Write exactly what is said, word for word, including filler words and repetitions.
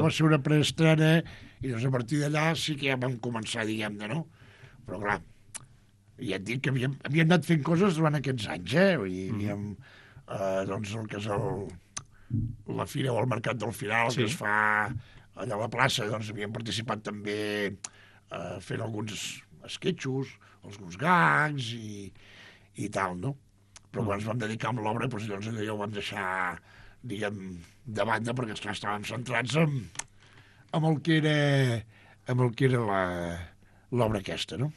va ser una preestrena i doncs a partir d'allà sí que ja vam començar, diguem-ne, no? Però clar, ja et dic que havíem, havíem anat fent coses durant aquests anys, eh? Vull dir, havíem, eh, doncs el que és el, la fira o el mercat del Firal, Sí. que es fa allà a la plaça, doncs havíem participat també eh, fent alguns esquetxos, alguns gags i, i tal, no? Però quan ens vam dedicar amb l'obra, doncs llavors allò ja ho vam deixar, diguem, de banda, perquè esclar, estàvem centrats en, amb el que era amb el que era la- l'obra aquesta, no?